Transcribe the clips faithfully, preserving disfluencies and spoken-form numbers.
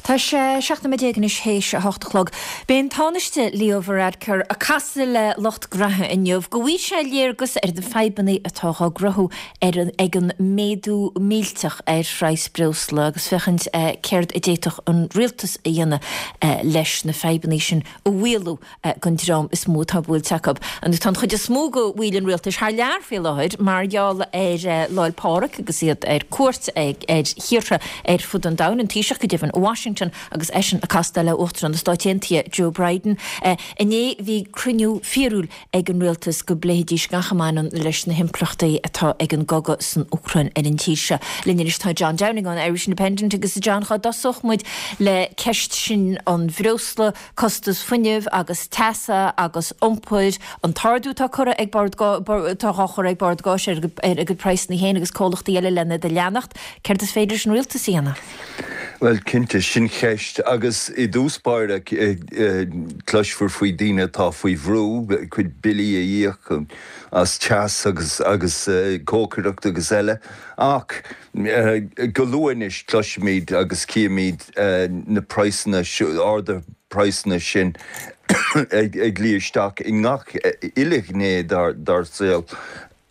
Tá sé seacht nóiméad déag anois théis a hocht a chlog. Beidh an Tánaiste Leo Varadkar ag casadh le lucht gnaithe inniu go bhfaighidh sé léargas ar na fadhbanna atá á gcruthú ar an ag an méadú millteach ar phraghas breosla agus féachaint céard a d'fhéadfadh an rialtas a dhéanamh leis na fadhbanna sin a mhaolú don dream is mó atá buailte acu. An tá an chuid is mó de bhaill an rialtais thar lear faoi láthair mar gheall ar Lá 'le Pádraig agus iad ar cuairt ag ar thíortha ar fud an domhain an Taoiseach go deimhin Washington agus eisean ag castáil le Uachtarán na Stát Aontaithe Joe Biden. Inné bhí cruinniú fíorúil ag an rialtas go bpléifidís gach a mbaineann leis na himpleachtaí atá ag an gcogadh san Úcráin ar an tír seo. Linn anois tá John Downing ón Irish Independent agus John cá dtosódh muid le ceist sin an bhreosla, costas fuinnimh agus teasa agus iompair an t-ardú atá curtha ag Bord atá á chur ag Bord Gáis ar a gcuid praghsanna féin agus comhlachtaí eile lena do leanacht, céard is féidir leis an rialtas a dhéanamh? Well cinnte sin ceist agus i dtús báire cloisfear faoi daoine atá faoi bhrú cuid billí a íoc as teas agus agus cócaireacht agus eile ach go luath anois cloisfimid agus cífimid na praghsanna arda praghsanna sin ag luí isteach i ngach uile ghné dár saol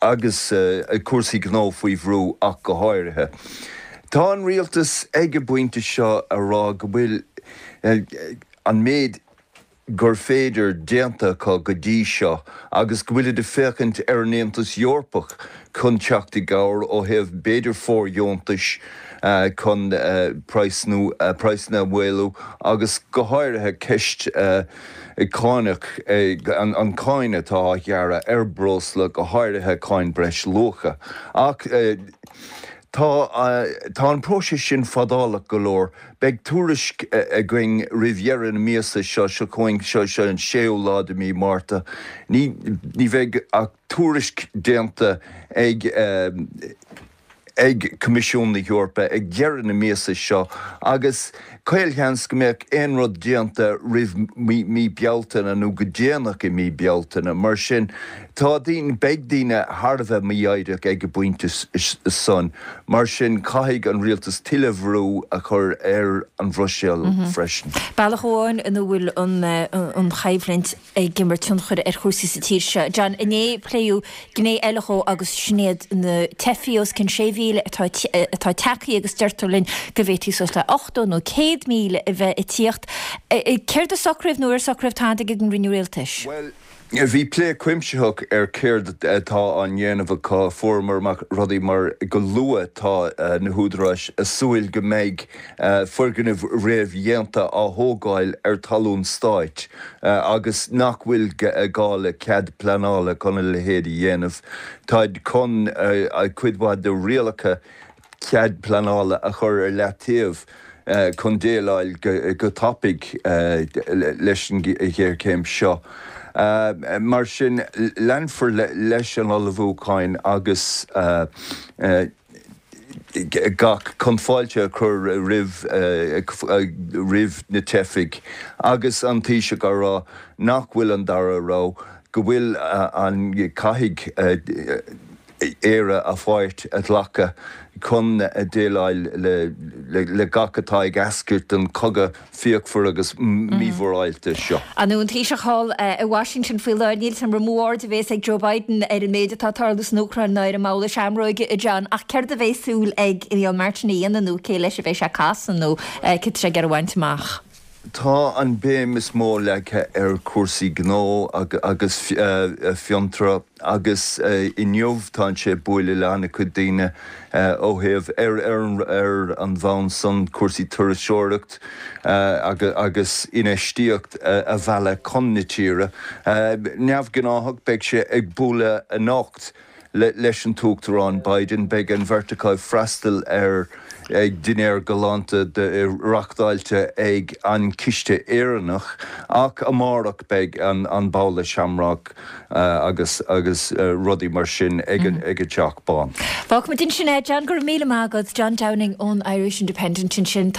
agus cúrsaí gnó faoi bhrú ach go háirithe. Tá an rialtas ag an bpointe seo a rá go bhfuil an méid gur féidir déanta acu go dtí seo agus go bhfuil ag féachaint ar an Aontas Eorpach chun teacht i gcabhair ó thaobh b'fhéidir fóirdheontais chun praghsanna a mhaolú agus go háirithe ceist cánach an cáin atá á ghearradh ar breosla go háirithe cáin breisluacha. Ach Tá tá an próiseas sin fadálach go leor, beidh tuairisc againn roimh dheireadh na míosa seo seo chugainn seo seo an séú lá de mí Márta. Ní ní bheidh ach tuairisc déanta ag ag Coimisiún na hEorpa ag deireadh na míosa seo agus caolsheans go mbeadh aon rud déanta roimh mí Bealtaine nó go déanach i mí Bealtaine mar sin tá daoine beidh daoine thar a bheith mífhoighdeach ag an bpointe san mar sin caithfidh an rialtas tuilleadh brú a chur ar an Bhruiséil freisin. Bealach amháin ina bhfuil an an choimhlint ag imirt tionchar ar chúrsaí sa tír seo. John inné pléadh gné eile dhó agus sin iad na teifigh os cionn sé mhíle atá atá tagtha agus deirtear linn go bhféadfaí suas le ochtó nó céad míle a bheith ag tíocht. Céard a socraíodh nó ar socraíodh tada ag an gcruinniú rialtais? Well, bhí plé cuimsitheach ar céard atá á ndéanamh acu fuaireamar amach rudaí mar go luath tá na húdaráis ag súil go mbeidh foirgnimh réamhdhéanta á thógáil ar talún stáit agus nach bhfuil gá le cead pleanála chun a leithéid a dhéanamh. Táid chun cuid mhaith de rialacha cead pleanála a chur ar leataobh chun déileáil go tapaidh leis an ghéarchéim seo. Mar sin leanfar leis an ullmhúcháin agus gach chun fáilte a chur roimh roimh na teifigh agus an Taoiseach á rá nach bhfuil an dara rogha go bhfuil an caithfidh Éire a pháirt a ghlacadh chun déileáil le gach atá ag eascairt den chogadh fíochmhar agus mímhorálta seo. An an Taoiseach thall i Washington faoi láthair níl an mó aird a bhéas ag Joe Biden ar an méid atá ag tarlú san Úcráin ná ar an mbabhla seamróige a John ach céard a bheas súil ag Micheál Martin a dhéanamh nó cé leis a bheidh sé ag casadh nó cad tá sé ag iarraidh a bhaint amach. Tá an béim is mó leagtha ar chúrsaí gnó agus fiontraíocht agus inniu tá sé ag bualadh le an-chuid daoine ó thaobh ar ar an bhonn san cúrsaí turasóireacht agus infheistíocht a mhealladh chun na tíre. Neamhghnáthach beidh sé ag bualadh anocht leis an tUachtarán Biden beidh an bheirt acu ag freastal ar dinnéar galánta reáchtáilte ag an Ciste Éireannach ach amárach beidh an an babhla seamróg agus agus rudaí mar sin ag an ag an Teach Bán. Fágfaimid ansin é John go raibh míle maith agat John Downing ón Irish Independent ansin.